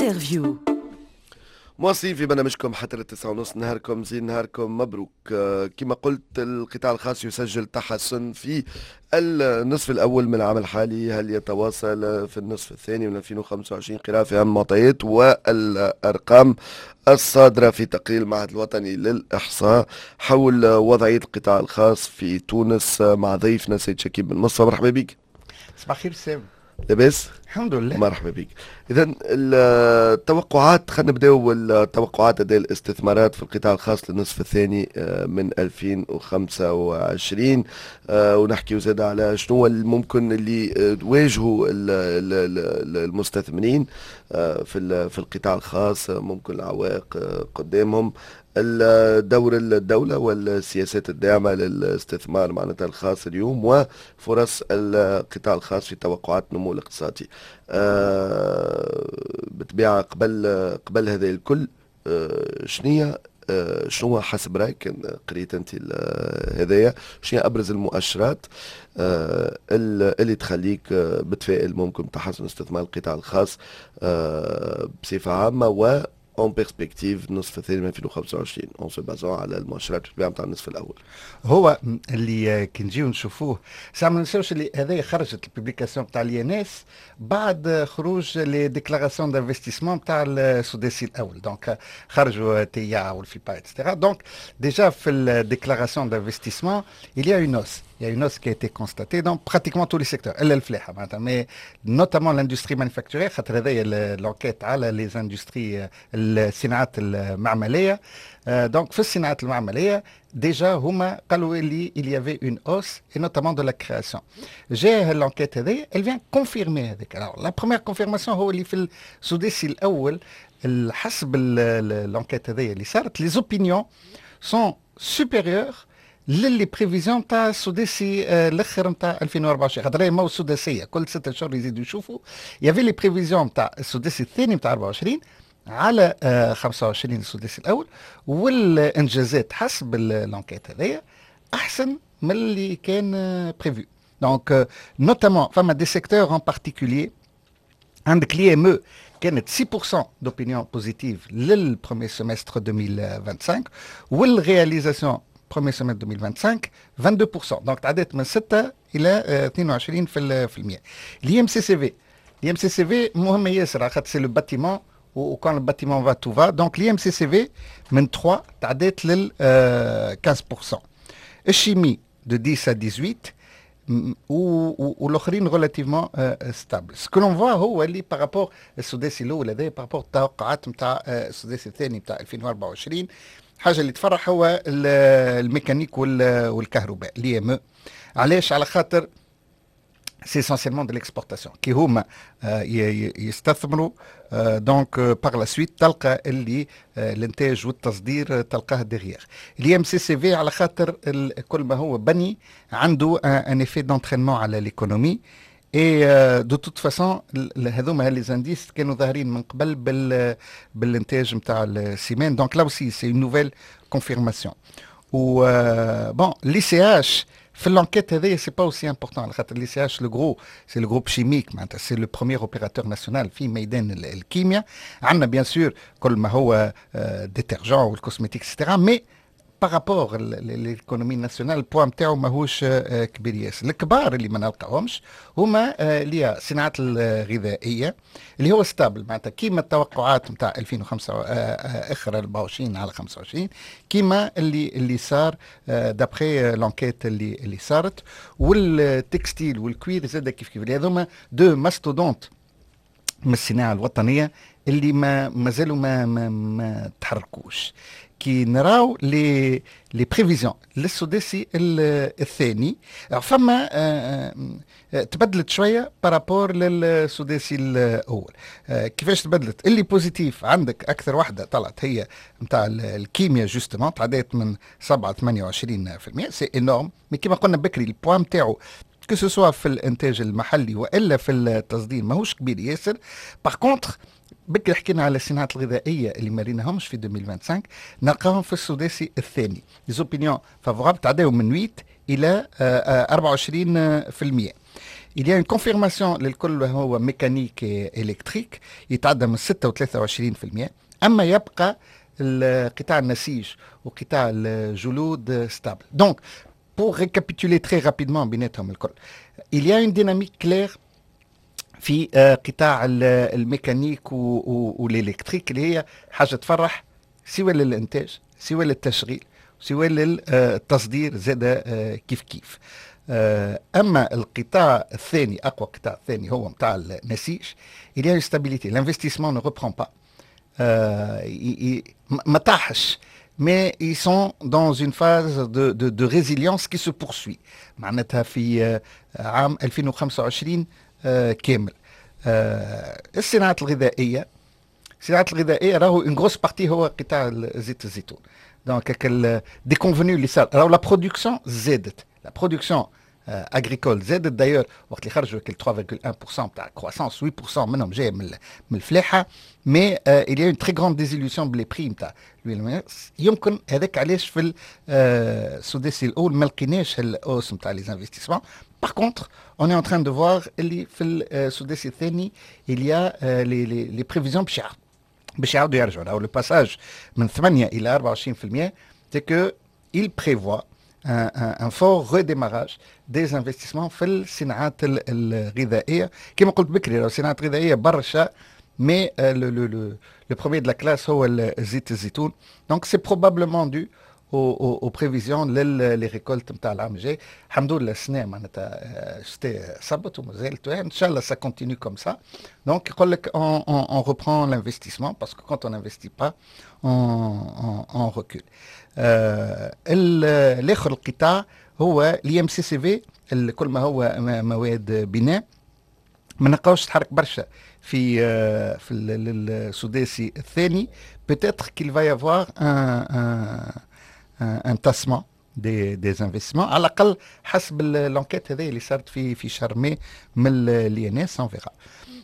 Interview. مواصلين في برنامجكم حتى 9:30. نهاركم زين، نهاركم مبروك. كما قلت، القطاع الخاص يسجل تحسن في النصف الأول من العام الحالي، هل يتواصل في النصف الثاني من 2025؟ قراءة في أهم المعطيات والأرقام الصادرة في تقرير المعهد الوطني للإحصاء حول وضعية القطاع الخاص في تونس مع ضيفنا سيد شكيب بن مصطفى. مرحبا بك. صباح الخير سام. لاباس؟ الحمد لله. مرحبا بك. اذا التوقعات، خلينا نبداو التوقعات، اداء الاستثمارات في القطاع الخاص للنصف الثاني من 2025، ونحكي زاد على شنو الممكن اللي تواجهوا المستثمرين في القطاع الخاص، ممكن العوائق قدامهم، دور الدولة والسياسات الداعمة للاستثمار معناتها الخاص اليوم، وفرص القطاع الخاص في توقعات النمو الاقتصادي. بالطبيعة قبل هذا الكل، شنو حسب رايك، قريت انت هذايا، شنو ابرز المؤشرات اللي تخليك متفائل ممكن تحسن استثمار القطاع الخاص بصفة عامة و en perspective النصف الثاني من 2025، en se basant على المؤشرات نتاع النصف الاول؟ هو اللي كي نجيو نشوفوه ساعة، ما ننساوش اللي هذا خرجت ال publication تاع l'INS بعد خروج les déclarations d'investissement تاع السداسي الاول، donc خرجوا TIA وال FIPA et cetera. donc déjà في ال déclarations d'investissement il y a une hausse. Il y a une hausse qui a été constatée dans pratiquement tous les secteurs. إلا الفلاحة معناتها، mais notamment l'industrie manufacturière، خاطر هذايا l'enquête على les industries، الصناعات المعملية. donc في الصناعات المعملية déjà هما قالوا اللي il y avait une hausse et notamment de la création. جاء l'enquête هذه، elle vient confirmer هذيك. Alors la première confirmation هو اللي في السداسي الاول، حسب l'enquête هذه اللي صارت، les opinions sont supérieures ل les prévisions تاع السداسي الاخر نتاع 2024، خاطر هي ماهو السداسيه، كل 6 اشهر يزيدوا يشوفوا. il y avait les prévisions تاع السداسي الثاني نتاع 24 على 25 السداسي الاول، والانجازات حسب l'enquête هذايا احسن من اللي كان prévu. donc notamment فما des secteurs en particulier، عندك l'IME كانت 6% d'opinion positive لل premier semestre 2025، وال réalisation premier semestre 2025 22%، donc تعديت من 6 الى 22 في المية. لي ام سي سي في، لي ام سي سي في مهم ياسر خاطر c'est le bâtiment، و quand le bâtiment va، tout va. donc l'IMCCV من 3 تعديت لل 15%، ال chimie de 10 à 18، والاخرين relativement stables. ce que l'on voit هو اللي par rapport السداسي الاول هذا، par rapport التوقعات نتاع السداسي الثاني نتاع 2024، حاجة اللي تفرح هو الميكانيك والكهرباء، l'IME. علاش؟ على خاطر c'est essentiellement de l'exportation. كي هما يستثمروا، donc par la suite تلقى اللي الانتاج والتصدير تلقاه derrière. l'IMCCV على خاطر كل ما هو بني عنده un effet d'entraînement على l'économie، et de toute façon هذوما les indices كانوا ظاهرين من قبل بالانتاج نتاع ال ciment، donc là aussi c'est une nouvelle confirmation. و bon، l'ICH في l'enquête هذايا c'est pas aussi important، على خاطر l'ICH، le gros، c'est le groupe chimique، معناتها c'est le premier opérateur national في ميدان الكيمياء. عندنا bien sûr كل ما هو détergent وال cosmétique et cetera، mais par rapport l'économie nationale ال poids نتاعو ماهوش كبير ياسر. الكبار اللي ما نلقاهمش هما اللي الصناعات الغذائيه، اللي هو stable، معناتها كيما التوقعات نتاع 2005 اخر 24 على 25، كيما اللي صار d'après l'enquête اللي صارت. وال textile وال cuir زاد كيف كيف، هذوما deux mastodontes من الصناعة الوطنية اللي ما مازالوا ما تحركوش. كي نراو les prévisions للسداسي الثاني، فما تبدلت شوية par rapport للسداسي الاول. كيفاش تبدلت؟ اللي positif عندك اكثر واحدة طلعت هي نتاع الكيمياء justement، تعديت من 7 28%، c'est énorme، mais كيما قلنا بكري ال poids نتاعو que ce soit في الانتاج المحلي والا في التصدير ماهوش كبير ياسر. par contre بكري حكينا على الصناعات الغذائية اللي ما ريناهمش في 2025، نلقاهم في السداسي الثاني، les opinions favorables تعداو من 8 الى 24%. Il y a une confirmation للكل هو mécanique électrique يتعدى من 6 و23%، اما يبقى قطاع النسيج وقطاع الجلود stable. donc pour récapituler très rapidement بيناتهم الكل، il y a une dynamique claire في قطاع ال mécanique وال électrique، اللي هي حاجة تفرح سواء للانتاج سواء للتشغيل سواء للتصدير زاد كيف كيف. اما القطاع الثاني، اقوى قطاع الثاني هو نتاع النسيج، il y a une stabilité، l'investissement ne reprend pas، ما طاحش، mais ils sont dans une phase de résilience qui se poursuit معناتها في عام 2025 كامل. الصناعات الغذائيه، الصناعات الغذائية راهو une grosse partie هو قطاع زيت الزيتون، donc déconvenue اللي صار راهو la production زادت، la production agricole زادت. d'ailleurs وقت اللي خرجوا 3.1% تاع croissance، 8% منهم جاي من الفلاحه، mais il y a une très grande désillusion ب les prix نتاع. يمكن هذاك علاش في السداسي الاول ما لقيناش ال hausse نتاع les investissements. Par contre, on est en train de voir اللي في السداسي الثاني il y a les prévisions باش يعاودوا يرجعوا. راهو le passage من 8 الى 24%، c'est que il prévoit un fort redémarrage des investissements في الصناعات الغذائيه. كما قلت بكري، الصناعات الغذائية برشا، mais le premier de la classe هو زيت الزيتون، donc c'est probablement dû aux prévisions les récoltes نتاع العام الجاي. الحمد لله السنة معناتها الشتاء صبت ومازالت، ان شاء الله ça continue comme ça. donc يقول لك on reprend l'investissement parce que quand on n'investit pas on recule. الاخر القطاع هو l'IMCCV، كل ما هو مواد بناء، ما نلقاوش تحرك برشا في السداسي الثاني. peut-être qu'il va y avoir un tassement des investissements، على الاقل حسب l'enquête هذه اللي صارت في شهر ماي من l'INS، on verra.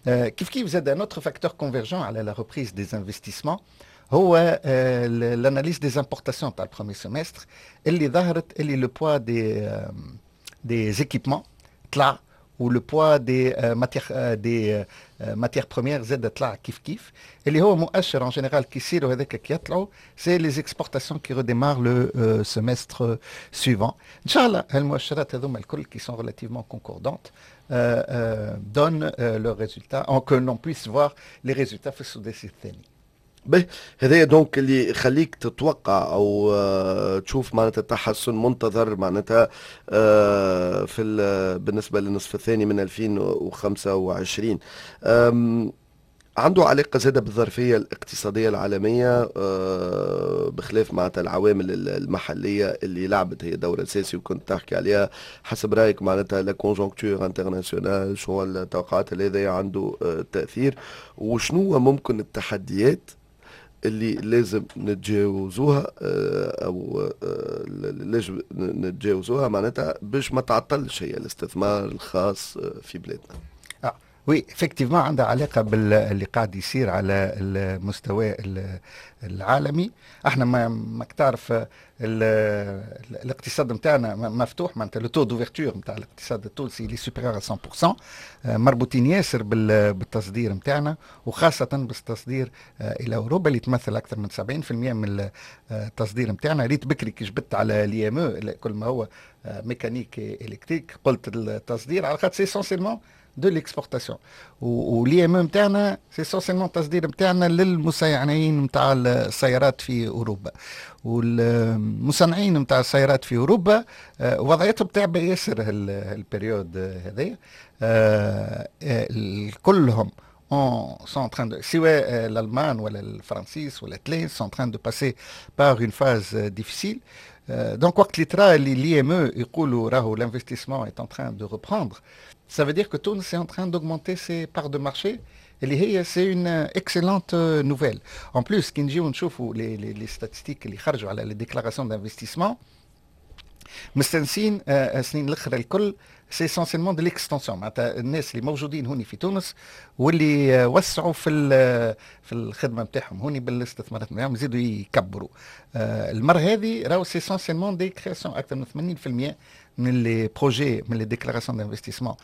كيف كيف زاد un autre facteur convergent على la reprise des investissements هو l'analyse des importations تاع ال premier semestre، اللي ظهرت اللي le poids des équipements طلع و le poids des matières premières زاد طلع كيف كيف، اللي هو مؤشر en général كي يصيروا هذاك كي يطلعوا، c'est les exportations qui redémarrent le semestre suivant. ان شاء الله هالمؤشرات هذوما الكل qui sont relativement concordantes donnent le résultat، que l'on puisse voir les résultats في السداسي الثاني. به، هذايا donc اللي يخليك تتوقع او تشوف معناتها تحسن منتظر معناتها في بالنسبة للنصف الثاني من 2025، عنده علاقة زادة بالظرفية الاقتصادية العالمية، بخلاف معناتها العوامل المحلية اللي لعبت هي دور أساسي وكنت تحكي عليها. حسب رأيك معناتها la conjoncture internationale، شو التوقعات اللي هذا عنده تأثير، وشنو ممكن التحديات اللي لازم نتجاوزوها او لازم نتجاوزوها معناتها باش ما تعطلش هي الاستثمار الخاص في بلادنا؟ oui، effectivement عندها علاقة باللي قاعد يصير على المستوى العالمي. احنا ما ماك تعرف الاقتصاد نتاعنا مفتوح، معناتها le taux d'ouverture نتاع الاقتصاد التونسي اللي supérieur 100%، مربوطين ياسر بالتصدير نتاعنا وخاصة بالتصدير الى اوروبا اللي تمثل اكثر من 70% من التصدير نتاعنا. ريت بكري كي جبدت على l'IME، كل ما هو mécanique électrique، قلت التصدير على خاطر c'est essentiellement de l'exportation، و l'IME نتاعنا c'est essentiellement التصدير نتاعنا للمصنعين نتاع السيارات في اوروبا. والمصنعين نتاع السيارات في اوروبا وضعيتهم تعبة ياسر ال période هذايا. كلهم sont en train de، سواء الالمان ولا الفرنسيس ولا التليان، sont en train de passer par une phase difficile. donc وقت اللي ترى اللي l'IME يقولوا راهو l'investissement est en train de reprendre، ça veut dire que تونس est en train d'augmenter ses parts de marché، اللي هي c'est une excellente nouvelle. En plus كي نجيو نشوفوا les statistiques اللي خرجوا على les déclarations d'investissement مستنسين السنين الاخرى الكل، c'est essentiellement de l'extension، معناتها الناس اللي موجودين هوني في تونس واللي وسعوا في الخدمة نتاعهم هوني بالاستثمارات نتاعهم يزيدوا يكبروا. المرة هذه راهو c'est essentiellement des créations، اكثر من 80% من les projets، من les déclarations d'investissement،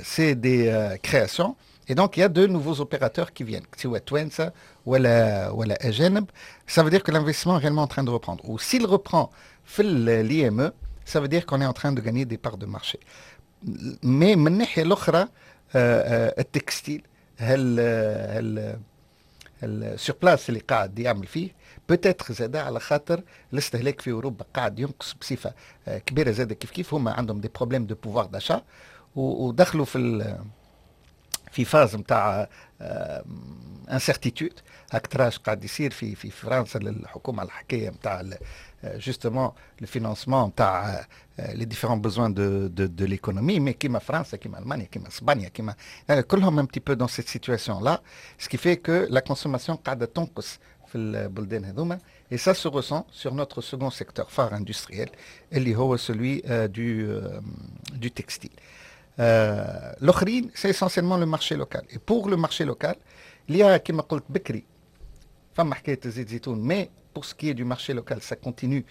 c'est des créations et donc il y a de nouveaux opérateurs qui viennent، سواء توانسة ولا اجانب. ça veut dire que l'investissement est réellement en train de reprendre، و s'il reprend في l'IME، ça veut dire qu'on est en train de gagner des parts de marché. mais من الناحية الاخرى ال textile، هل ال surplace اللي قاعد يعمل فيه peut-être زاد على خاطر الاستهلاك في اوروبا قاعد ينقص بصفة كبيره. زاد كيف كيف هما عندهم des problèmes de pouvoir d'achat ودخلوا في phase نتاع incertitude. هاك تراش قاعد يصير في فرنسا للحكومة على الحكاية نتاع justement le financement نتاع les différents besoins de l'économie. mais كيما فرنسا، كيما المانيا، كيما اسبانيا، كيما كلهم un petit peu dans cette situation-là، ce qui fait que la consommation قاعدة تنقص في البلدان هذوما et ça se ressent sur notre second secteur phare industriel اللي هو celui du textile. الاخرين c'est essentiellement le marché local، et pour le marché local il y a كما قلت بكري فما حكاية زيت زيتون، mais pour ce qui est du marché local، ça continue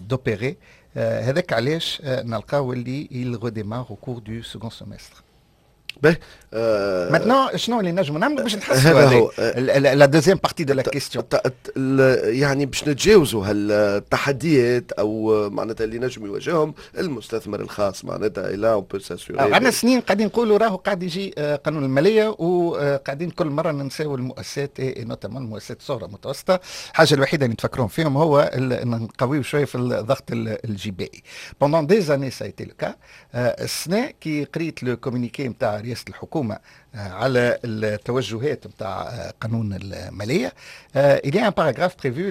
d'opérer. هذاك علاش نلقاو اللي il redémarre au cours du second semestre. باهي. maintenant شنو اللي نجموا نعملوا باش نحسنوا؟ la deuxième partie de la question. يعني باش نتجاوزوا هالتحديات او معناتها اللي نجم يواجههم المستثمر الخاص، معناتها الى on peut s'assurer. عندنا سنين قاعدين نقولوا راهو قاعد يجي قانون الماليه، وقاعدين كل مرة ننساو المؤسسات، notamment المؤسسات الصغرى المتوسطه. الحاجة الوحيدة اللي نتفكرون فيهم هو ان نقويو شوية في الضغط الجبائي. pendant des années ça a été le cas. السنة كي قريت le communiqué نتاع رئاسة الحكومة على التوجهات نتاع قانون الماليه، il y a un paragraphe prévu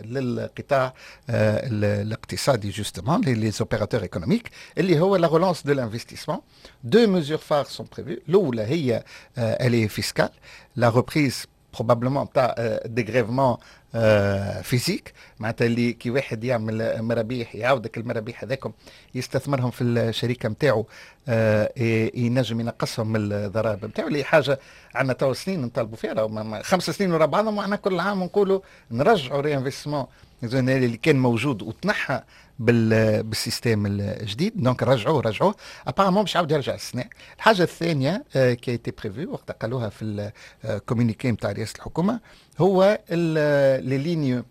للقطاع الاقتصادي، justement les opérateurs économiques، اللي هو la relance de l'investissement. deux mesures phares sont prévues. الاولى هي elle est fiscale، la reprise probablement تاع dégrèvement physique، معناتها اللي كي واحد يعمل مرابيح يعاودك المرابيح هذاكم يستثمرهم في الشركة نتاعو، ينجم ينقصهم من الضرائب نتاعو، اللي حاجة عندنا تو سنين نطالبوا فيها، 5 سنين ورا بعضهم، وحنا كل عام نقولوا نرجعوا réinvestissement اللي كان موجود وتنحى بال système الجديد. donc رجعوه رجعوه، apparemment باش يعاود يرجع السنه. الحاجة الثانية qui a été prévue وقت قالوها في ال communiqué نتاع رئاسة الحكومة هو les lignes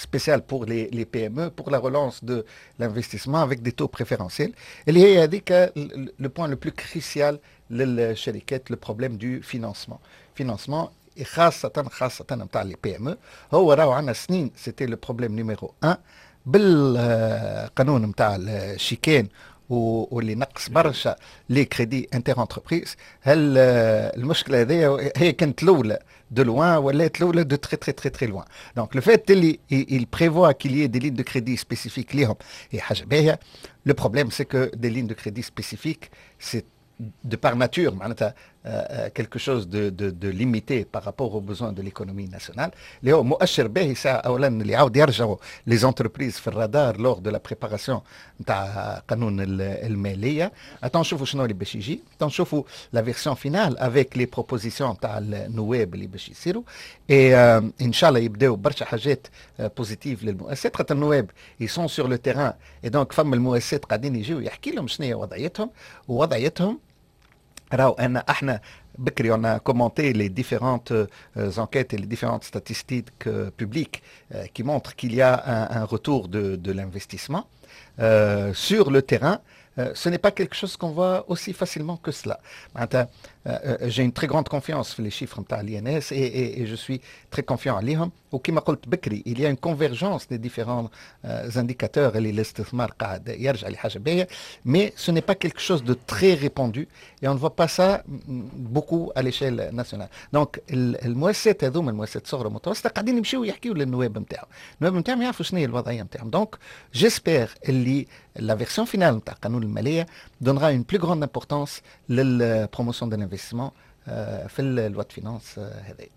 spéciales pour les PME، pour la relance de l'investissement avec des taux préférentiels. اللي هي هذيك le point le plus crucial للشركات، le problème du financement. Financement خاصة خاصة نتاع les PME، هو راهو عندنا سنين c'était le problème numéro 1. بالقانون نتاع الشيكان واللي نقص برشا les crédits inter-entreprises، هل المشكلة هذه هي كانت الاولى de loin ولات الاولى de très très très très loin. donc le fait اللي il prévoit qu'il y ait des lignes de crédit spécifiques ليهم هي حاجة باهيه. le problème c'est que des lignes de crédit spécifiques، c'est de par nature معناتها quelque chose de limité par rapport aux besoins de l'économie nationale. اللي هو مؤشر باهي ساعة اولا اللي يعاود يرجعوا les entreprises في الرادار lors de la préparation نتاع قانون الماليه. attends نشوفوا شنو اللي باش يجي، attends نشوفوا la version finale avec les propositions نتاع النواب اللي باش يصيروا، et ان شاء الله يبداو برشا حاجات positives للمؤسسات، خاطر النواب ils sont sur le terrain et donc فما المؤسسات قاعدين يجيو يحكي لهم شنو هي وضعيتهم. ووضعيتهم راهو انا احنا بكري on a commenté les différentes enquêtes et les différentes statistiques publiques qui montrent qu'il y a un retour de l'investissement sur le terrain. Ce n'est pas quelque chose qu'on voit aussi facilement que cela. J'ai une très grande confiance في les chiffres نتاع l'INS et je suis très confiant عليهم. وكما قلت بكري il y a une convergence des différents indicateurs اللي الاستثمار قاعد يرجع لحاجة باهيه، mais ce n'est pas quelque chose de très répandu et on ne voit pas ça beaucoup à l'échelle nationale. donc المؤسسات هذوما، المؤسسات الصغرى والمتوسطه، قاعدين يمشيو يحكيو للنواب نتاعهم، النواب نتاعهم يعرفوا شنو هي الوضعية نتاعهم. donc j'espère اللي la version finale نتاع قانون المالية donnera une plus grande importance لل promotion de l'investissement في ال loi de finances هذه.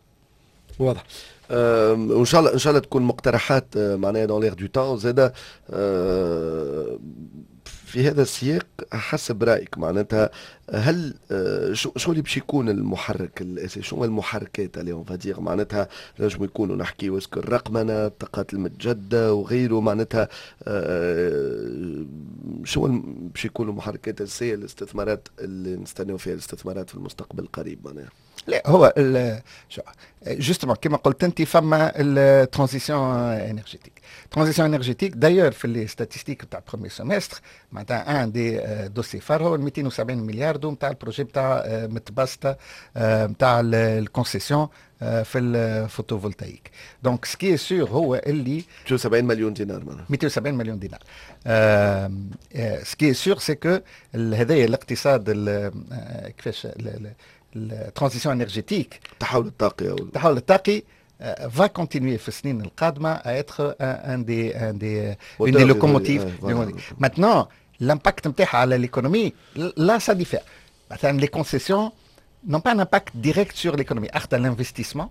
واضح، وان شاء الله ان شاء الله تكون مقترحات معناها dans l'air du temps زاده. في هذا السياق، حسب رايك معناتها، هل شو اللي باش يكون المحرك الاساسي؟ شو هما المحركات اللي on va dire معناتها نجم يكونوا؟ نحكي est-ce que الرقمنه، الطاقات المتجددة وغيره، معناتها شو باش يكونوا المحركات الاساسية للاستثمارات اللي نستناو فيها الاستثمارات في المستقبل القريب معناها؟ لا، هو justement كما قلت انت، فما ال transition énergétique. transition énergétique d'ailleurs في les statistiques تاع premier semestre، معناتها un des dossiers phares هو 270 مليار نتاع ال projet نتاع متبسطه نتاع ال concession في ال photovoltaïque. donc ce qui est sûr هو اللي 270 مليون دينار معناها. 270 مليون دينار. ce qui est sûr c'est que هذايا الاقتصاد، كيفاش ال transition énergétique، التحول الطاقي. التحول الطاقي va continuer في السنين القادمة à être un des une des locomotives. Maintenant، l'impact نتاعها على l'économie، là ça diffère. مثلا les concessions n'ont pas un impact direct sur l'économie. اخطى l'investissement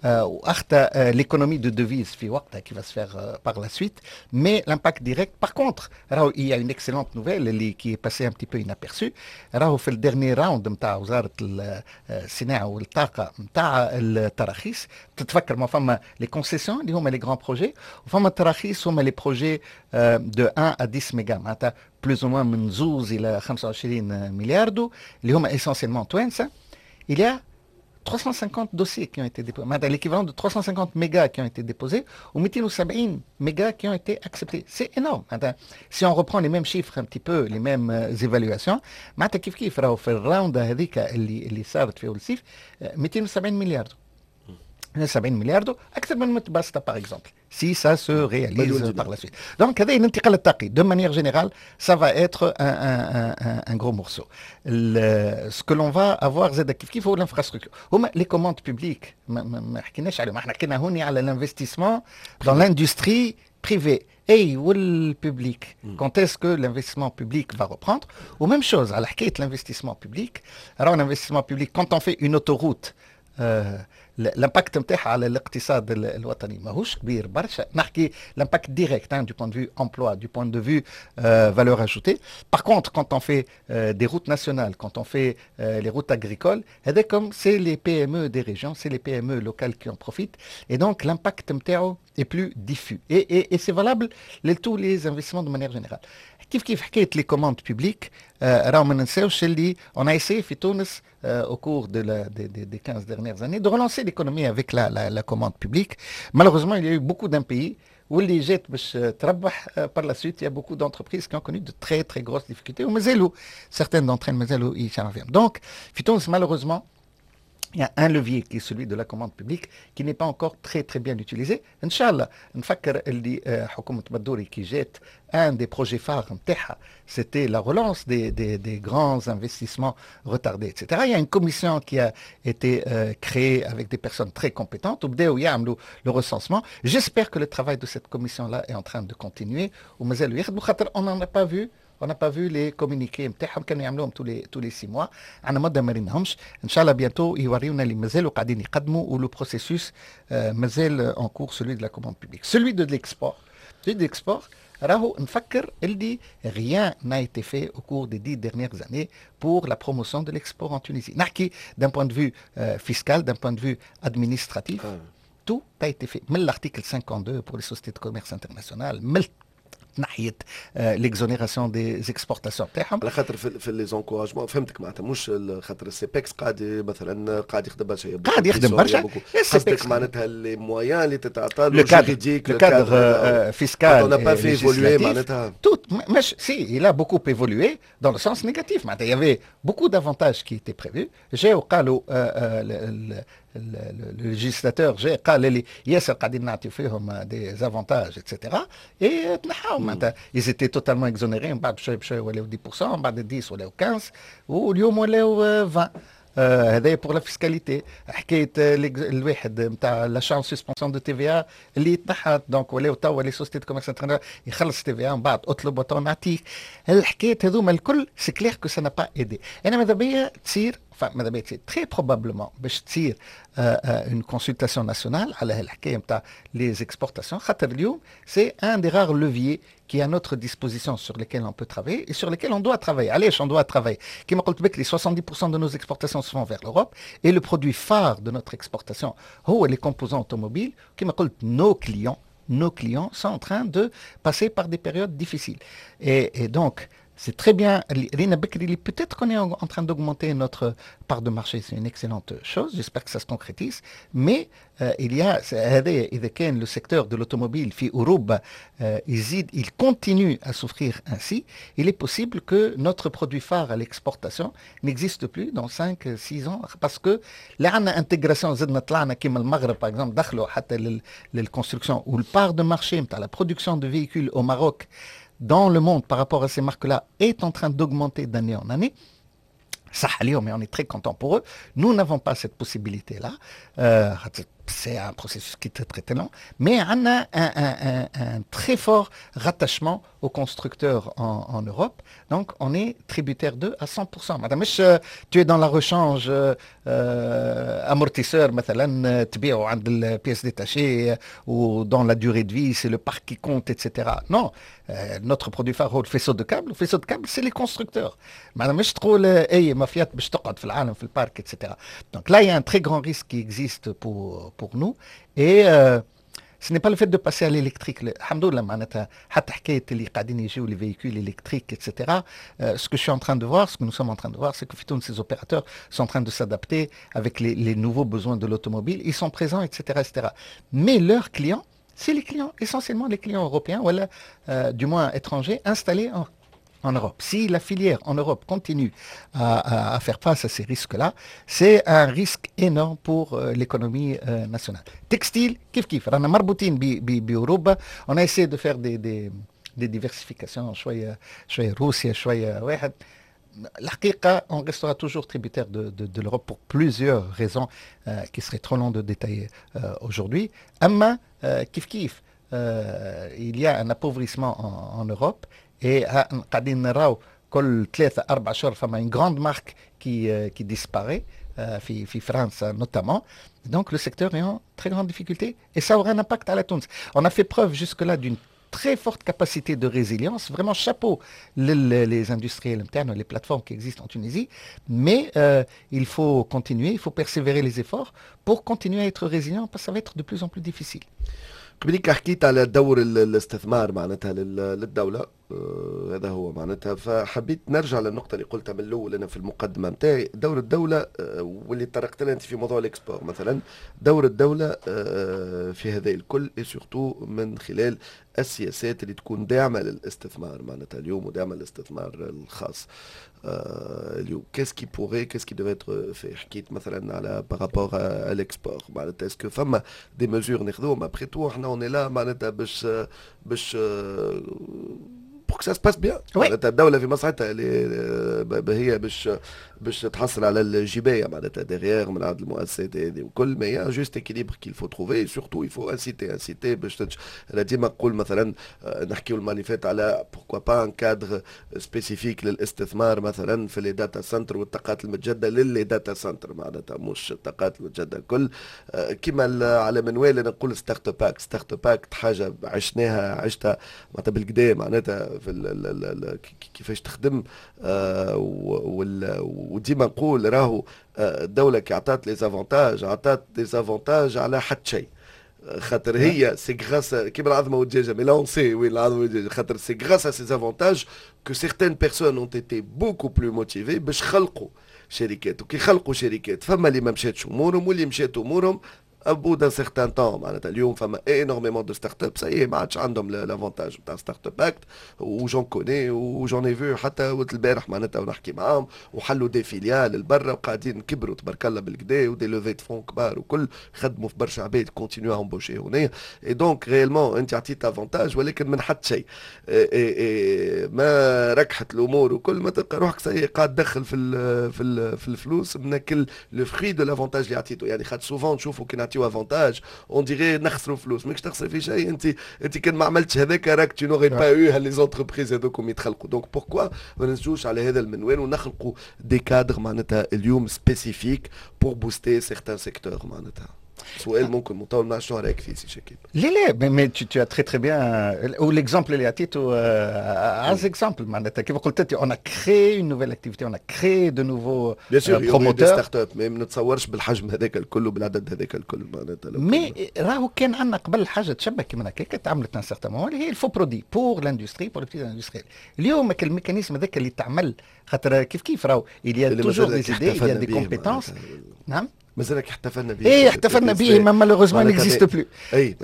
واخطى l'économie de devises في وقتها qui va se faire par la suite، mais l'impact direct، par contre راهو il y a une excellente nouvelle اللي qui est passée un petit peu inaperçue. راهو في ال dernier round نتاع وزارة الصناعة والطاقة نتاع التراخيص، تتفكر ما فما les concessions اللي هما les grands projets، وفما التراخيص هما les projets de 1 à 10 ميجا، معناتها plus ou moins من زوز الى 25 مليار دو، اللي هما essentiellement توانسه. il y a 350 dossiers qui ont été déposés، l'équivalent de 350 mégas qui ont été déposés ou 270 mégas qui ont été acceptés. C'est énorme. Si on reprend les mêmes chiffres un petit peu، les mêmes évaluations، معناتها كيف كيف راهو في ال round هذيك اللي صارت في الصيف 270 مليار، 70 مليار دو اكثر من متبسطه par exemple، si ça se réalise par la suite. Donc هذا الانتقال الطاقي de manière générale، ça va être un gros morceau. Ce que l'on va avoir زاد كيف كيف هو l'infrastructure، هما les commandes publiques. ما حكيناش عليهم، احنا حكينا هوني على l'investissement dans l'industrie privée et وال public. Quand est-ce que l'investissement public va reprendre؟ و même chose على حكاية l'investissement public. Alors l'investissement public، quand on fait une autoroute، l'impact نتاعها على الاقتصاد الوطني ماهوش كبير برشا، نحكي l'impact direct du point de vue emploi، du point de vue valeur ajoutée. par contre quand on fait des routes nationales، quand on fait les routes agricoles، هذا comme c'est les PME des régions، c'est les PME locales qui en profitent et donc l'impact نتاعو est plus diffus et c'est valable ل tous les investissements de manière générale. كيف كيف حكاية les commandes publiques، راهو ما ننساوش اللي on a essayé في تونس au cours des 15 dernières années de relancer l'économie avec la commande publique. Malheureusement، il y a eu beaucoup d'impayés واللي جات باش تربح par la suite، il y a beaucoup d'entreprises qui ont connu de très très grosses difficultés ومازالوا certaines d'entre elles مازالوا يشعروا فيهم. Donc في تونس malheureusement il y a un levier qui est celui de la commande publique qui n'est pas encore très très bien utilisé. إن شاء الله، نفكر اللي حكومة بدوري كي جات، un des projets phares نتاعها c'était la relance des grands investissements retardés، etc. Il y a une commission qui a été créée avec des personnes très compétentes وبداو يعملوا le recensement. J'espère que le travail de cette commission-là est en train de continuer ومازالوا يخدموا، خاطر on n'a pas vu les communiqués نتاعهم، كانوا يعملوهم tous les 6 mois، عندنا مده ما ريناهمش. ان شاء الله bientôt يوريونا اللي مازالوا قاعدين يقدموا و le processus مازال en cours، celui de la commande publique. celui de l'export، celui de l'export راهو نفكر اللي rien n'a été fait au cours des 10 dernières années pour la promotion de l'export en Tunisie. نحكي d'un point de vue fiscal، d'un point de vue administratif، tout a été fait. من l'article 52 pour les sociétés de commerce international، من ناحية l'exonération des exportations تاعهم. على خاطر في les encouragements، فهمتك، معناتها مش خاطر ال CEPEX قاعد مثلا قاعد يخدم برشا. قاعد يخدم برشا. قصدك معناتها les moyens اللي تتعطى له juridique، le cadre fiscal. on n'a pas fait évoluer معناتها. tout مش si، il a beaucoup évolué dans le sens négatif. معناتها il y avait beaucoup d'avantages qui étaient prévus، جاو قالوا le législateur جاء قال لي ياسر قاعدين نعطيو فيهم des avantages et cetera et تنحاو. معناتها ils étaient totalement exonérés، من بعد بشوي بشوي ولاو 10%، من بعد 10 ولاو 15، واليوم ولاو 20. هذا pour la fiscalité. حكاية الواحد نتاع l'achat en suspension de TVA اللي تنحى، donc ولاو توا les sociétés de commerce يخلص TVA من بعد اطلب وتو نعطيك. الحكايات هذوما الكل c'est clair que ça n'a pas aidé. انا ماذا بيا تصير enfin ماذا بيا تصير، très probablement باش تصير une consultation nationale على هالحكايه نتاع les exportations، خاطر اليوم c'est un des rares leviers qui est à notre disposition sur lesquels on peut travailler et sur lesquels on doit travailler. علاش on doit travailler؟ كما قلت بكري، 70% de nos exportations se font vers l'Europe et le produit phare de notre exportation هو les composants automobiles. كما قلت، nos clients sont en train de passer par des périodes difficiles. Et donc, c'est très bien. Peut-être qu'on est en train d'augmenter notre part de marché, c'est une excellente chose. J'espère que ça se concrétise. Mais il y a إذا كان le secteur de l'automobile في أوروبا يزيد, il continue à souffrir ainsi, il est possible que notre produit phare à l'exportation n'existe plus dans 5 6 ans parce que لا عندنا intégration، زدنا طلعنا كيما المغرب par exemple، دخلوا حتى لل construction ou part de marché نتاع la production de véhicules au Maroc dans le monde par rapport à ces marques-là est en train d'augmenter d'année en année. صح اليوم et on est très content pour eux. Nous n'avons pas cette possibilité-là. C'est un processus qui est très très long, mais on a un très fort rattachement aux constructeurs en Europe. Donc on est tributaire d'eux à 100%. معناتها مش tu es dans la rechange amortisseur مثلا تبيعه عند ال pièces détachées ou dans la durée de vie, c'est le parc qui compte, etc. Non, notre produit phare هو ال faisceau de câbles. ال faisceau de câbles, c'est les constructeurs. معناتها مش تقول اي ما فيات باش تقعد في العالم في ال parc, etc. Donc là, il y a un très grand risque qui existe pour nous et ce n'est pas le fait de passer à l'électrique. الحمد لله، معناتها حتى حكايه اللي قاعدين يجيو les véhicules électriques, etc. Ce que je suis en train de voir, ce que nous sommes en train de voir, c'est que في تونس ces opérateurs sont en train de s'adapter avec les nouveaux besoins de l'automobile. Ils sont présents, etc., etc. Mais leurs clients, c'est les clients, essentiellement les clients européens, ou du moins étrangers, installés en Europe. Si la filière en Europe continue à faire face à ces risques-là, c'est un risque énorme pour l'économie nationale. Textile, كيف كيف، رانا مربوطين بأوروبا. On a essayé de faire des diversifications، شوية شوية روسيا، شوية واحد. الحقيقة on restera toujours tributaire de l'Europe pour plusieurs raisons qui seraient trop longues de détailler aujourd'hui. أما كيف كيف il y a un appauvrissement en Europe et قاعدين نراو كل 3 4 شهور فما une grande marque qui disparaît في فرنسا notamment. Donc le secteur est en très grande difficulté et ça aura un impact على تونس. On a fait preuve jusque-là d'une très forte capacité de résilience. Vraiment chapeau les industriels internes, les plateformes qui existent en Tunisie. Mais il faut continuer, il faut persévérer les efforts pour continuer à être résilient parce que ça va être de plus en plus difficile. قبليك حكيت على دور الاستثمار معناتها للدولة، هذا هو معناتها، فحبيت نرجع للنقطة اللي قلتها من الأول أنا في المقدمة نتاعي، دور الدولة واللي طرقت لها أنت في موضوع ال export مثلا، دور الدولة في هذا الكل et surtout من خلال السياسات اللي تكون داعمة للاستثمار معناتها اليوم وداعمة للاستثمار الخاص اليوم. Qu'est-ce qui devrait être fait؟ حكيت مثلا على par rapport à l'export، معناتها est-ce que فما des mesures ناخذوهم؟ Après tout احنا on est là معناتها باش pour que ça se passe bien. معناتها الدولة في مصلحتها اللي هي باش تحصل على الجباية معناتها derrière من عند المؤسسات هذه وكل، mais il y a un juste équilibre qu'il faut trouver. Surtout il faut inciter, inciter باش انا ديما نقول مثلا نحكيو الماليفات على pourquoi pas un cadre spécifique للاستثمار مثلا في les data centers والطاقات المتجدده، ل les data centers معناتها مش الطاقات المتجدده الكل. كيما على منوال انا نقول Startup Act. Startup Act حاجه عشناها، عشتها معناتها بالقدا، معناتها في ال كيفاش تخدم، وديما نقول راهو الدوله كي عطات les avantages، عطات des avantages على حد شيء، خاطر هي c'est grâce كيما العظمه والدجاجه، mais là on sait وين العظمه والدجاجه، خاطر c'est grâce à ces avantages que certaines personnes ont été beaucoup plus motivées باش خلقوا شركات، وكي خلقوا شركات فما اللي ما مشاتش امورهم واللي مشات امورهم au bout d'un certain temps. معناتها اليوم فما énormément de startups ça y est ما عادش عندهم l'avantage نتاع Startup Act، و j'en connais و j'en ai vu حتى وقت البارح معناتها ونحكي معاهم، وحلوا des filiales لبرا وقاعدين كبروا تبارك الله بالقدا و des levées de fonds كبار وكل، خدموا في برشا عباد، continuent à embaucher هنا. Et donc réellement انت عطيت avantage ولكن من حد شيء ما ركحت الامور وكل، ما تلقى روحك ça y est قاعد تدخل في الفلوس من كل le fruit de l'avantage اللي عطيته. يعني خاطر souvent نشوفوا كي نعطيو avantage، on dirait نخسروا فلوس. ماكش تخسر في شيء انت. انت كان ما عملتش هذاك راك tu n'aurais pas eu les entreprises هذوكم يتخلقوا. donc pourquoi ما نزجوش على هذا المنوال ونخلقوا des cadres معناتها اليوم spécifiques pour booster certains secteurs؟ معناتها سؤال ممكن مطول، ما شنو رايك فيه سي شكيب؟ لا لا، mais tu as très très bien و l'exemple اللي عطيته اعز exemple. معناتها كيف قلت انت، on a créé une nouvelle activité، on a créé de nouveaux bien sûr promoteurs startups، mais ما نتصورش بالحجم هذاك الكل وبالعدد هذاك الكل معناتها. mais راهو كان عندنا قبل حاجة تشبه كيما هكاك، تعملت un certain moment، اللي هي ال FOPRODI pour l'industrie، pour les petits industriels. اليوم ال mécanisme هذاك اللي تعمل، خاطر كيف كيف راهو il y a toujours des idées، il y a des compétences. نعم. مازال احتفلنا به. ايه، احتفلنا به، mais malheureusement n'existe plus. اي.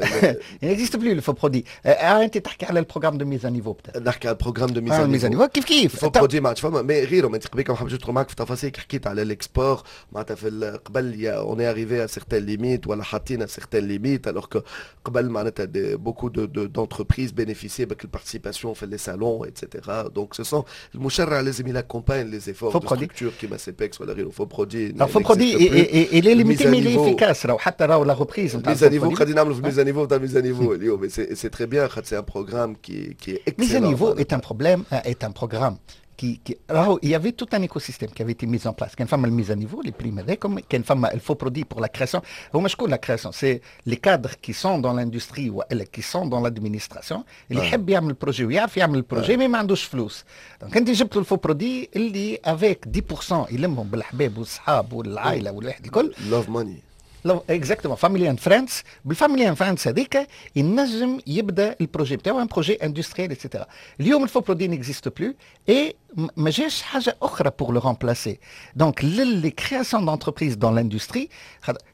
n'existe plus ال FOPRODI. انت تحكي على ال programme de mise à niveau؟ نحكي على ال programme de mise à niveau. كيف كيف. ال FOPRODI ما عادش فما، mais غيره. انت قبيل ما حبيتش ندخل معك في تفاصيل، حكيت على l'export معناتها في قبل on est arrivé à certaines limites ولا حطينا certaines limites، alors que قبل معناتها beaucoup de d'entreprises bénéficiaient بك ال participation في les salons et cetera. donc ce sont المشرع لازم il accompagne les efforts de structures كيما CEPEX ولا غيره. FOPRODI FOPRODI il est limité mais il est efficace. راهو حتى راهو la reprise نتاع mise à niveau، خلينا نعملوا في mise à niveau تاع mise à niveau اليوم، c'est très bien خاطر c'est un programme qui est mise à niveau est un problème est un programme qui راهو il y avait tout un écosystème qui avait été mis en place. كان فما ال mise à niveau، les primes هذاكم، كان فما ال FOPRODI pour la création. هما شكون la création؟ c'est les cadres qui sont dans l'industrie والا qui sont dans l'administration، اللي يحب يعمل projet ويعرف يعمل projet mais ما عندوش فلوس. donc انت جبت له ال FOPRODI اللي avec 10% يلمهم بالحباب والصحاب والعائلة والواحد الكل. love money. exactement، family and friends. بال family and friends هذيك ينجم يبدا ال projet بتاعو، un projet industriel et cetera. اليوم ال FOPRODI n'existe plus et ما جاش حاجة اخرى pour le remplacer. donc les créations d'entreprises dans l'industrie،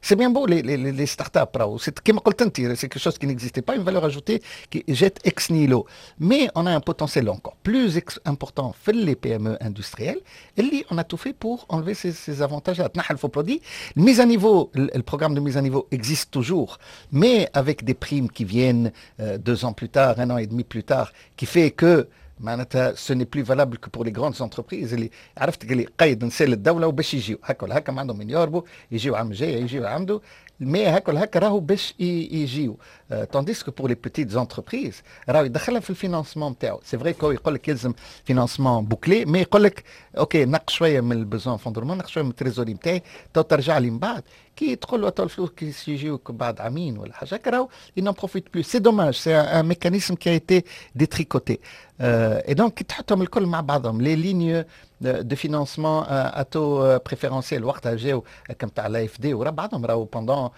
c'est bien beau les startups، راهو كيما قلت انت c'est quelque chose qui n'existait pas، une valeur ajoutée qui جات ex nihilo، mais on a un potentiel encore plus important في les PME industrielles اللي on a tout fait pour enlever ces avantages. تنحى ال FOPRODI، ال mise à niveau، ال programme de mise à niveau existe toujours، mais avec des primes qui viennent 2 ans plus tard، un an et demi plus tard، qui fait que معناتها ce n'est plus valable que pour les grandes entreprises. اللي عرفت اللي قيد نسال الدولة وباش يجيو هكا ولا هكا، ما عندهم من يهربوا، يجيو عام جاي، يجيو عنده، mais هكا ولا هكا راهو باش يجيو. tandis que pour les petites entreprises راهو يدخلها في ال financement نتاعو. c'est vrai que يقول لك يلزم financement bouclé، mais يقول لك OK، نقص شوية من ال besoin fonds de roulement، نقص شوية من ال trésorerie نتاعي، تو ترجع لي من بعد. كي تقول له تو الفلوس كي يجيوك بعد عامين ولا حاجه، راهو il n'en profite plus. c'est dommage، c'est un mécanisme qui a été détricoté. et donc كي تحطهم الكل مع بعضهم، les lignes de financement à taux préférentiel وقتها جاو كم تاع l'AFD ورا بعضهم، راهو pendant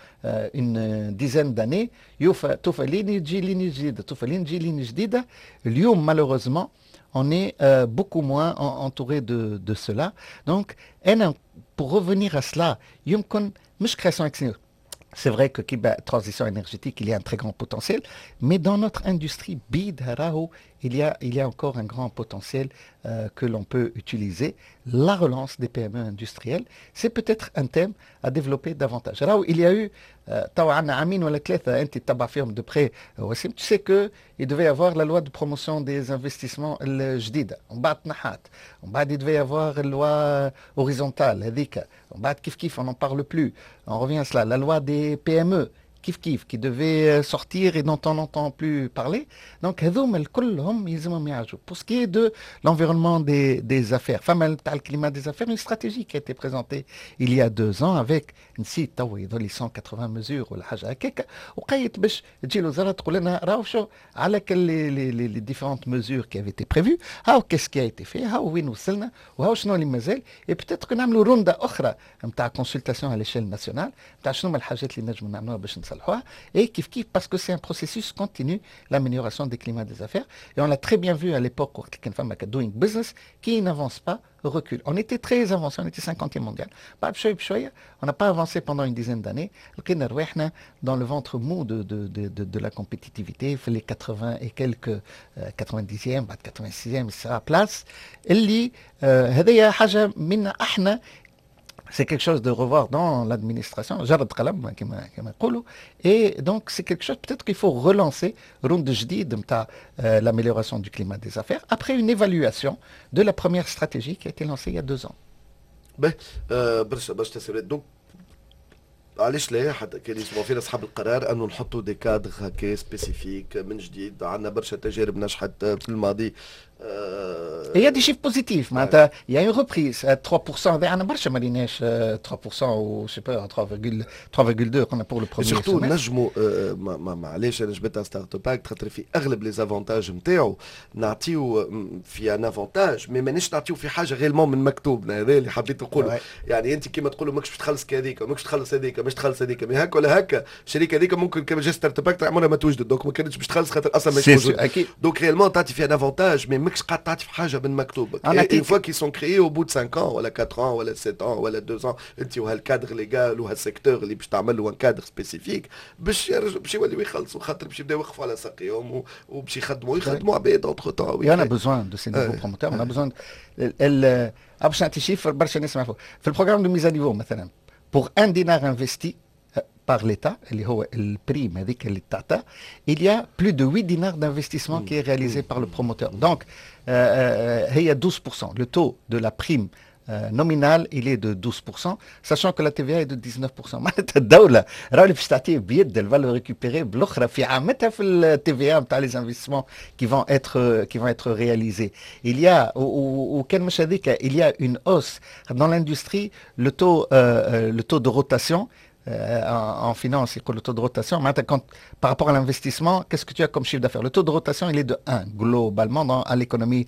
une dizaine d'années يوفى توفى ligne تجي ligne جديده، توفى ligne تجي ligne جديده. اليوم malheureusement on est beaucoup moins entouré de cela. Donc, pour revenir à cela, يمكن مش création ex. C'est vrai que كيما transition énergétique, il y a un très grand potentiel, mais dans notre industrie بيدها راهو il y a encore un grand potentiel que l'on peut utiliser. La relance des PME industrielles, c'est peut-être un thème à développer davantage. راهو il y a eu توا عندنا عامين ولا ثلاثة، أنت تتبع فيهم de près وسيم، tu sais que il devait y avoir la loi de promotion des investissements الجديدة، ومن بعد تنحات، ومن بعد il devait y avoir la loi horizontale هذيك، ومن بعد كيف كيف on n'en parle plus. On revient à cela، la loi des PME كيف كيف qui devait sortir et dont on n'entend plus parler. Donc هذوما الكل هم يلزمهم يعالجوا. Pour ce qui est de l'environnement des affaires، فما تاع ال climat des affaires، une stratégie qui a été présentée il y a 2 ans avec نسيت تو يظل 180 mesures ولا حاجة هكاك، وقيت باش تجي الوزارة تقول لنا راهو شو على les différentes mesures qui avaient été prévues، هاو qu'est-ce qui a été fait، هاو وين وصلنا وهاو شنو اللي مازال، et peut-être نعملوا روندا اخرى نتاع consultation على l'échelle nationale نتاع شنو هما الحاجات اللي نجموا نعملوها باش نصلحوها. et كيف كيف parce que c'est un processus continu، l'amélioration des climats des affaires، et on l'a très bien vu à l'époque وقت كان فما doing business، qui n'avance pas recule. On était très avancé، on était 50e mondial. بعد بشوية بشوية on n'a pas avancé pendant une dizaine d'années. لقينا رواحنا dans le ventre mou de la compétitivité في les 80 et quelques 90e، بعد 86e place. اللي هذه حاجة منا احنا، c'est quelque chose de revoir dans l'administration، جرد قلم كما يقولوا. et donc c'est quelque chose peut-être qu'il faut relancer round جديد نتاع l'amélioration du climat des affaires après une évaluation de la première stratégie qui a été lancée il y a 2 ans. باهي، برشا برشا تساؤلات. donc علاش لا، حتى كان يسمعوا فينا اصحاب القرار، انه نحطوا des cadres هكا spécifiques من جديد. عندنا برشا تجارب نجحت في الماضي. Il y a des chiffres positifs. معناتها il y a une reprise 3%، هذا عندنا برشا ما ريناش 3% ou je sais pas 3,2 قلنا pour le premier. surtout نجموا معليش انا جبتها Startup Act خاطر في اغلب les avantages نتاعو نعطيو في un avantage، mais مانيش نعطيو في حاجة réellement من مكتوبنا. هذا اللي حبيت نقوله. يعني انت كيما تقولوا ماكش باش تخلص هذيك، ماكش تخلص هذيك، ماكش تخلص هذيك، mais هكا ولا هكا الشركة هذيك ممكن كما جا Startup Act عمرها ما توجد، donc ما كانتش باش تخلص خاطر اصلا مش موجود. donc réellement تعطي في un avantage، mais ماكش قاعد تعطي في حاجة من مكتوبك. une fois qu'ils sont créés au bout de 5 ans ولا 4 ans ولا 7 ans ولا 2 ans، انت وهال cadre légal وهال secteur اللي باش تعمل له un cadre spécifique باش يوليو يخلصوا، خاطر باش يبداو يوقفوا على ساقيهم وباش يخدموا عباد entre-temps. Il y en a besoin de ces nouveaux promoteurs, on a besoin. باش نعطي chiffre برشا ناس يعرفوا، في ال programme de mise à niveau مثلا، pour un dinar investi par l'État، اللي هو ال prime هذيك اللي تعطى، il y a plus de 8 dinars d'investissement qui est réalisé par le promoteur. Donc هي 12%، le taux de la prime nominal il est de 12%، sachant que la TVA est de 19%. معناتها الدولة راهو اللي باش تعطيه بيد elle va le récupérer بالاخرى في عامتها في ال TVA نتاع les investissements qui vont être réalisés. Il y a وكان مش هذيك، il y a une hausse dans l'industrie، le taux de rotation، en finance، يقول le taux de rotation، quand, par rapport à l'investissement، qu'est-ce que tu as comme chiffre d'affaires؟ Le taux de rotation، il est de 1 globalement à l'économie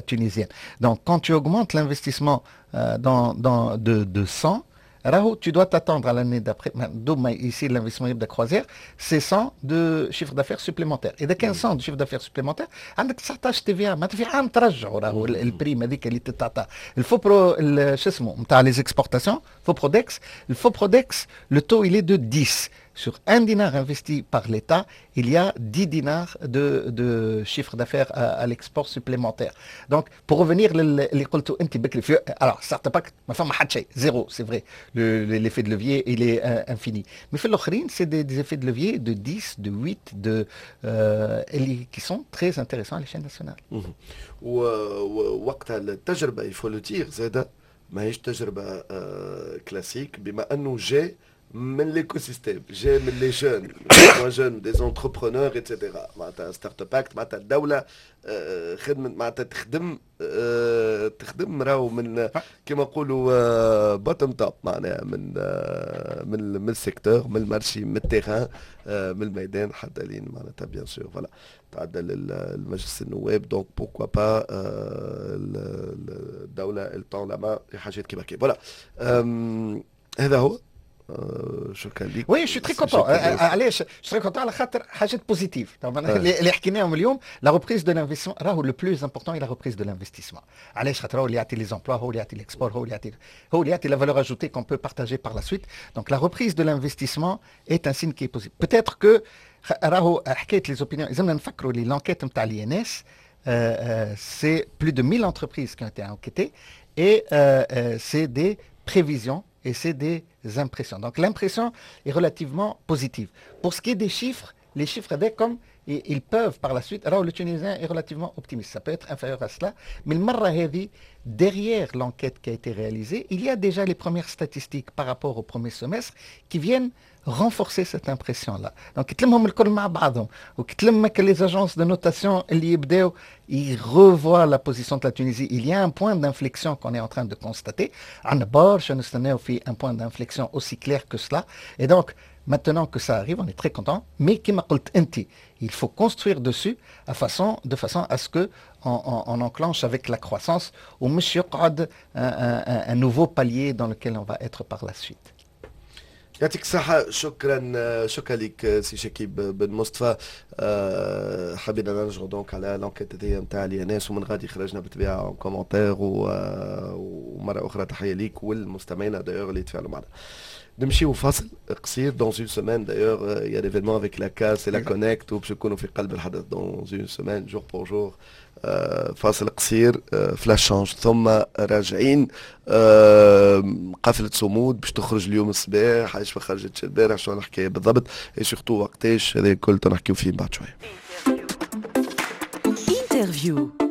tunisienne. Donc, quand tu augmentes l'investissement de 100، راهو tu dois t'attendre à l'année d'après، ici l'investissement de croisière، c'est 100 de chiffre d'affaires supplémentaire. إذا كان 100 de chiffre d'affaires supplémentaire، عندك 19 TVA، معناتها في عام ترجعوا راهو ال prime هذيك اللي تتعطى. ال FOPRO شو اسمه نتاع les exportations، FOPRODEX، ال FOPRODEX، le taux il est de 10. Sur un dinar investi par l'État، il y a 10 dinars de chiffre d'affaires à l'export supplémentaire. Donc, pour revenir اللي قلته انت بكري، alors Startup Act ما فما حتى شيء، zéro، c'est vrai. L'effet de levier، il est infini. Mais في الاخرين، c'est des effets de levier de 10، de 8، de qui sont très intéressants à l'échelle nationale. ووقتها التجربة، il faut le dire زادة، ماهيش تجربة كلاسيك، بما انه جاء من l'écosystème، جاي من les jeunes، moins jeunes، des entrepreneurs et cetera. معناتها Startup Act، معناتها الدولة خدمت، معناتها تخدم راهو من كيما نقولوا bottom top، معناها من ال secteur، من ال marché، من ال terrain، من الميدان، حتى لين معناتها bien sûr voilà تعدى للمجلس النواب. donc pourquoi pas الدولة elle tend la main في حاجات كيما كي voilà. هذا هو، شكرا لك. oui، je suis très content. علاش je suis très content؟ على خاطر حاجات positives اللي حكيناهم اليوم. la reprise de l'investissement، راهو le plus important la reprise de l'investissement. علاش؟ خاطر هو اللي يعطي les emplois، هو اللي يعطي l'export، هو اللي يعطي la valeur ajoutée qu'on peut partager par la suite. donc la reprise de l'investissement est un signe qui est positif. peut-être que راهو حكاية les opinions، لازمنا نفكروا لي l'enquête نتاع l'INS، c'est plus de 1000 entreprises qui ont été enquêtées et c'est des prévisions et c'est des impressions. Donc l'impression est relativement positive. Pour ce qui est des chiffres، les chiffres comme ils peuvent par la suite، alors le Tunisien est relativement optimiste، ça peut être inférieur à cela، mais المرة هذه، derrière l'enquête qui a été réalisée، il y a déjà les premières statistiques par rapport au premier semestre qui viennent renforcer cette impression-là. Donc, تلمهم الكل مع بعضهم وكتلم les agences de notation اللي يبداو ils revoient la position de la Tunisie. Il y a un point d'inflexion qu'on est en train de constater. عندنا برشا نستناو في un point d'inflexion aussi clair que cela. Et donc, maintenant que ça arrive، on est très content. Mais كما قلت انت، il faut construire dessus de façon à ce que on enclenche avec la croissance ومش يقعد un nouveau palier dans lequel on va être par la suite. يعطيك الصحة، شكرا، شكرا لك سي شكيب بن مصطفى. حبينا نرجعوا donc على l'enquête هذيا نتاع l'INS، ومن غادي خرجنا بالطبيعة commentaire. ومرة أخرى تحية ليك والمستمعين d'ailleurs اللي تفاعلوا معنا. نمشيو فاصل قصير. dans une semaine d'ailleurs il y a l'événement avec la CAS et la Connect، وباش نكونوا في قلب الحدث dans une semaine jour pour jour. فاصل قصير، flash change، ثم راجعين. قافلة صمود باش تخرج اليوم الصباح، علاش ما خرجتش البارح؟ شنو الحكاية بالضبط؟ et surtout وقتاش؟ هذا الكل نحكيو فيه بعد شويه. interview.